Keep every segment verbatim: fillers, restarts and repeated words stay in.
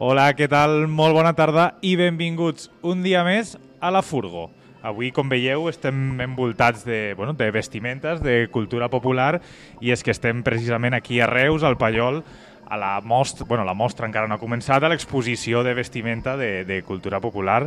Hola, què tal? Molt bona tarda i benvinguts un dia més a la Furgo. Avui, com veieu, estem envoltats de, bueno, de vestimentes, de cultura popular, i és que estem precisament aquí a Reus, al Pallol, a la mostra, bueno, la mostra encara no ha començat, a l'exposició de vestimenta de, de cultura popular,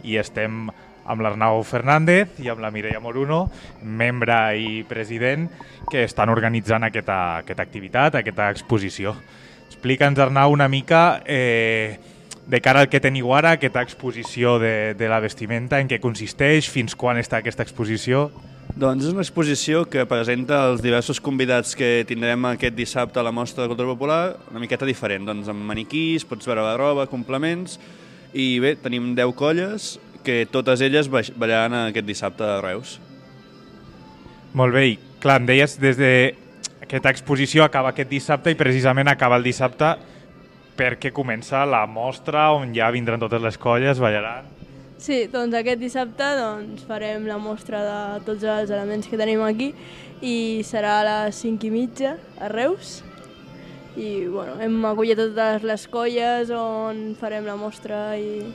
i estem amb l'Arnau Fernández i amb la Mireia Moruno, membre i president, que estan organitzant aquesta, aquesta activitat, aquesta exposició. Explica'ns, Arnau, una mica eh, de cara al que teniu ara, aquesta exposició de, de la vestimenta, en què consisteix, fins quan està aquesta exposició? Doncs és una exposició que presenta els diversos convidats que tindrem aquest dissabte a la Mostra de Cultura Popular, una miqueta diferent, doncs amb maniquís, pots veure la roba, complements, i bé, tenim deu colles que totes elles ballaran aquest dissabte a Reus. Molt bé, i clar, em deies des de aquesta exposició acaba aquest dissabte i precisament acaba el dissabte perquè comença la mostra on ja vindran totes les colles, ballaran. Sí, doncs aquest dissabte doncs, farem la mostra de tots els elements que tenim aquí i serà a les cinc i mitja a Reus. I bueno, hem acollit totes les colles on farem la mostra i...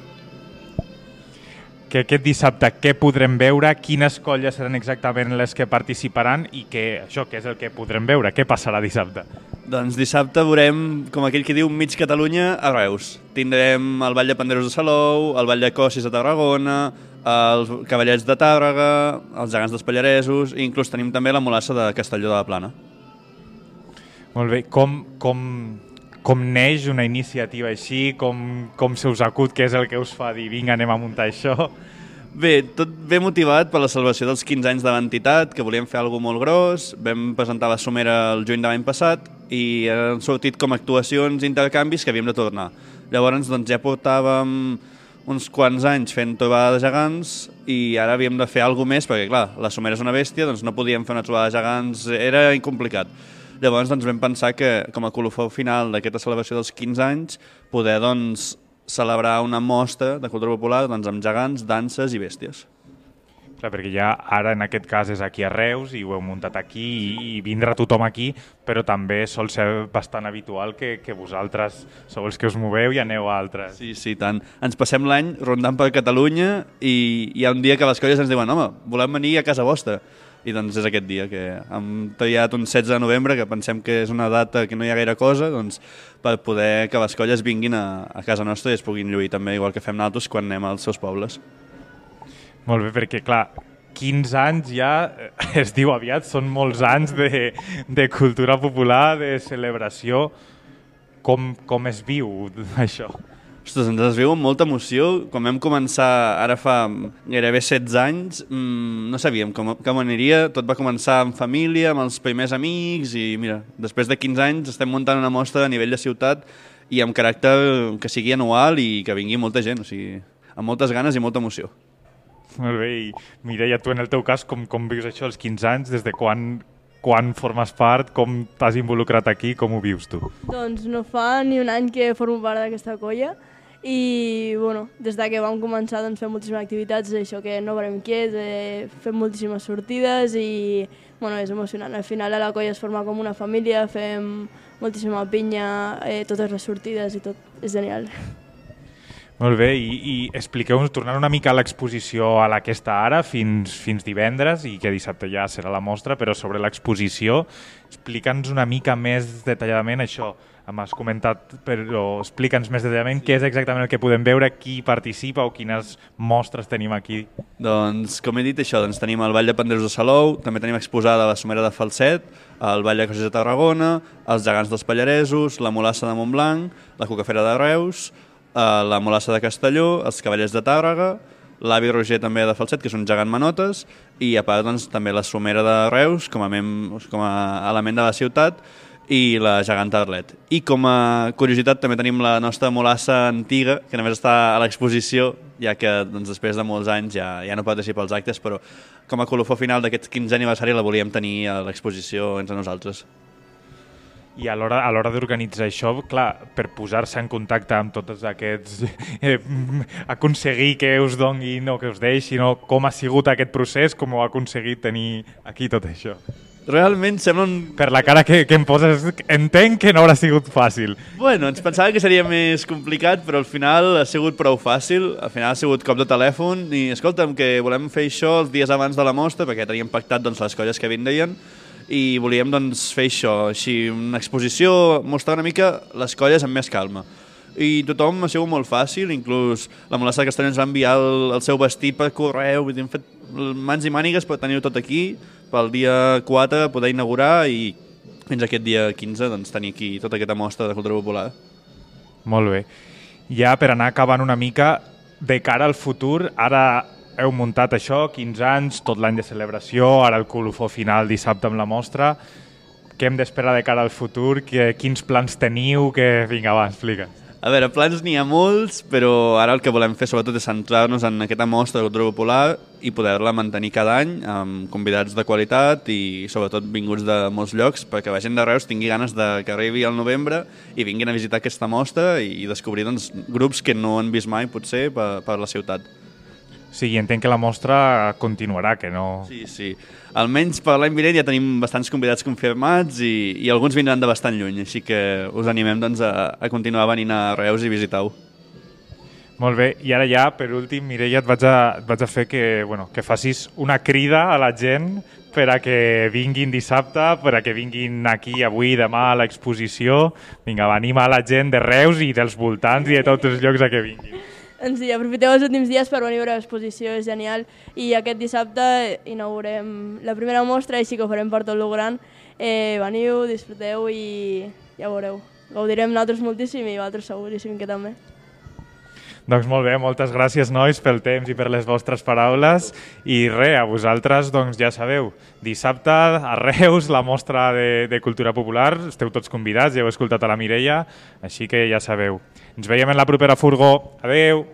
Que aquest dissabte què podrem veure, quines colles seran exactament les que participaran i què, això, què és el que podrem veure, què passarà dissabte? Doncs dissabte veurem, com aquell que diu, mig Catalunya a Reus. Tindrem el Ball de Panderos de Salou, el Ball de Cossis de Tarragona, els Cavallets de Tàrrega, els Gegants dels Pallaresos i inclús tenim també la Mulassa de Castelló de la Plana. Molt bé, com... com... Com neix una iniciativa així? Com, com se us acut? Què és el que us fa dir vinga, anem a muntar això? Bé, tot ve motivat per la celebració dels quinze anys de l'entitat, que volíem fer alguna molt gros. Vam presentar la somera el juny de l'any passat i han sortit com actuacions i intercanvis que havíem de tornar. Llavors doncs, ja portàvem uns quants anys fent trobada de gegants i ara havíem de fer alguna més perquè, clar, la somera és una bèstia, doncs no podíem fer una trobada de gegants, era incomplicat. Llavors doncs, vam pensar que, com a colofó final d'aquesta celebració dels quinze anys, poder doncs, celebrar una mostra de cultura popular doncs, amb gegants, danses i bèsties. Clar, perquè ja ara en aquest cas és aquí a Reus i ho heu muntat aquí i, i vindrà tothom aquí, però també sol ser bastant habitual que, que vosaltres sou els que us moveu i aneu a altres. Sí, sí, tant. Ens passem l'any rondant per Catalunya i hi ha un dia que les colles ens diuen home, volem venir a casa vostra. I doncs és aquest dia que hem triat un setze de novembre, que pensem que és una data que no hi ha gaire cosa, doncs, per poder que les colles vinguin a, a casa nostra i es puguin lluir també, igual que fem nosaltres quan anem als seus pobles. Molt bé, perquè clar, quinze anys ja es diu aviat, són molts anys de, de cultura popular, de celebració. Com, com es viu això? Ostres, ens es viu amb molta emoció. Quan vam començar, ara fa gairebé setze anys, mmm, no sabíem com, com aniria. Tot va començar en família, amb els primers amics, i mira, després de quinze anys estem muntant una mostra a nivell de ciutat i amb caràcter que sigui anual i que vingui molta gent, o sigui, amb moltes ganes i molta emoció. Molt bé, i Mireia, tu en el teu cas, com, com vius això als quinze anys? Des de quan, quan formes part? Com t'has involucrat aquí? Com ho vius tu? Doncs no fa ni un any que formo part d'aquesta colla i bueno, des de que vam començar doncs, fem moltíssimes activitats, això que no parem quiets, eh, fem moltíssimes sortides i bueno, és emocionant. Al final a la colla es forma com una família, fem moltíssima pinya, eh, totes les sortides i tot, és genial. Molt bé, i, i expliqueu-nos, tornant una mica a l'exposició a la que està ara, fins, fins divendres, i que dissabte ja serà la mostra, però sobre l'exposició, explica'ns una mica més detalladament això. M'has comentat, però explica'ns més detalladament què és exactament el que podem veure, qui participa o quines mostres tenim aquí. Doncs, com he dit, això, doncs, tenim el Ball de Panderos de Salou, també tenim exposada la Somera de Falset, el Ball de Cossis de Tarragona, els Gegants dels Pallaresos, la Mulassa de Montblanc, la Cucafera de Reus, la Mulassa de Castelló, els Cavallets de Tàrrega, l'avi Roger també de Falset, que és un gegant manotes, i a part doncs, també la Somera de Reus, com a, mem, com a element de la ciutat, i la geganta Arlet. I com a curiositat també tenim la nostra mulassa antiga, que només està a l'exposició, ja que doncs, després de molts anys ja, ja no participa als actes, però com a colofó final d'aquest quinzè aniversari la volíem tenir a l'exposició entre nosaltres. I a l'hora a l'hora d'organitzar això, clar, per posar-se en contacte amb tots aquests... Eh, aconseguir que us donguin o que us deixin, o com ha sigut aquest procés, com heu aconseguit tenir aquí tot això? realment sembla un... Per la cara que, que em poses, entenc que no haurà sigut fàcil. Bueno, ens pensava que seria més complicat, però al final ha sigut prou fàcil. Al final ha sigut cop de telèfon i, escolta'm, que volem fer això els dies abans de la mostra, perquè teníem pactat doncs, les colles que vindrien, i volíem doncs, fer això, així, una exposició, mostrar una mica les colles amb més calma. I tothom ha sigut molt fàcil, inclús la Molassa de Castelló ens va enviar el, el seu vestit per correu, vull dir, hem fet mans i mànigues per tenir-ho tot aquí, pel dia quatre poder inaugurar i fins aquest dia quinze doncs, tenir aquí tota aquesta mostra de cultura popular. Molt bé. Ja per anar acabant una mica, de cara al futur, ara heu muntat això, quinze anys, tot l'any de celebració, ara el colofó final dissabte amb la mostra. Què hem d'esperar de cara al futur? Que, quins plans teniu? Que... Vinga, va, explica. A veure, plans n'hi ha molts, però ara el que volem fer sobretot és centrar-nos en aquesta mostra de cultura popular i poder-la mantenir cada any amb convidats de qualitat i sobretot vinguts de molts llocs perquè la gent de Reus tingui ganes de que arribi al novembre i vinguin a visitar aquesta mostra i descobrir doncs, grups que no han vist mai potser per, per la ciutat. Sí, entenc que la mostra continuarà, que no... Sí, sí. Almenys per l'any vinent ja tenim bastants convidats confirmats i, i alguns vindran de bastant lluny, així que us animem doncs, a, a continuar venint a Reus i visitar-ho. Molt bé, i ara ja, per últim, Mireia, et vaig a, et vaig a fer que, bueno, que facis una crida a la gent per a que vinguin dissabte, per a que vinguin aquí avui, demà a l'exposició. Vinga, va, anima a la gent de Reus i dels voltants i de tots els llocs a que vinguin. Doncs sí, aprofiteu els últims dies per venir a veure l'exposició, és genial. I aquest dissabte inaugurem la primera mostra, així que ho farem per tot lo gran. Eh, veniu, disfruteu i ja veureu. Gaudirem nosaltres moltíssim i vosaltres seguríssim que també. Doncs molt bé, moltes gràcies, nois, pel temps i per les vostres paraules. I res, a vosaltres, doncs ja sabeu, dissabte a Reus, la mostra de, de cultura popular, esteu tots convidats, ja heu escoltat a la Mireia, així que ja sabeu. Ens veiem en la propera furgó. Adeu!